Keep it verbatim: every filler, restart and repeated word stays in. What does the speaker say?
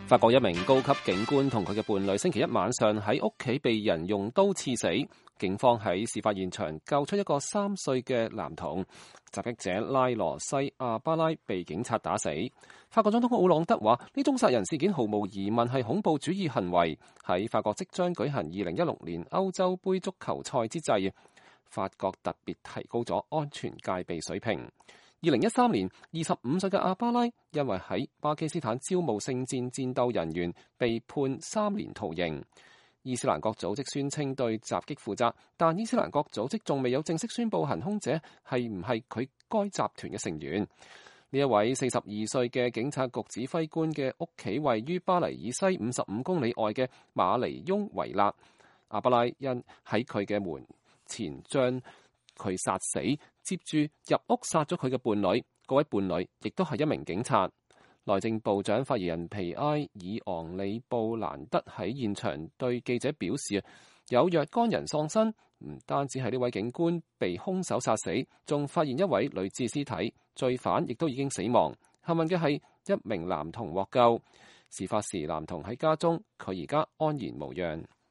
法國一名高級警官同佢嘅伴侶星期一晚上喺屋企被人用刀刺死，警方喺事發現場救出一個三歲嘅男童，襲擊者拉羅西亞巴拉被警察打死。法國總統奧朗德話：呢宗殺人事件毫無疑問係恐怖主義行為。喺法國即將舉行二零一六年歐洲盃足球賽之際，法國特別提高咗安全戒備水平。二零一三年，二十五歲嘅阿巴拉因為喺巴基斯坦招募聖戰戰鬥人員，被判三年徒刑。伊斯蘭國組織宣稱對襲擊負責，但伊斯蘭國組織仲未有正式宣布行兇者係唔係佢該集團嘅成員。呢一位四十二歲嘅警察局指揮官嘅屋企位於巴黎以西五十五公里外嘅馬尼翁維納。阿巴拉因喺佢嘅門前將佢殺死，接住入屋殺咗佢嘅伴侶，嗰位伴侶亦都係一名警察。內政部長發言人皮埃爾昂里布蘭德喺現場對記者表示，有若干人喪生，唔單止係呢位警官被兇手殺死，仲發現一位女子屍體，罪犯亦都已經死亡。幸運嘅係一名男童獲救，事發時男童喺家中，佢而家安然無恙。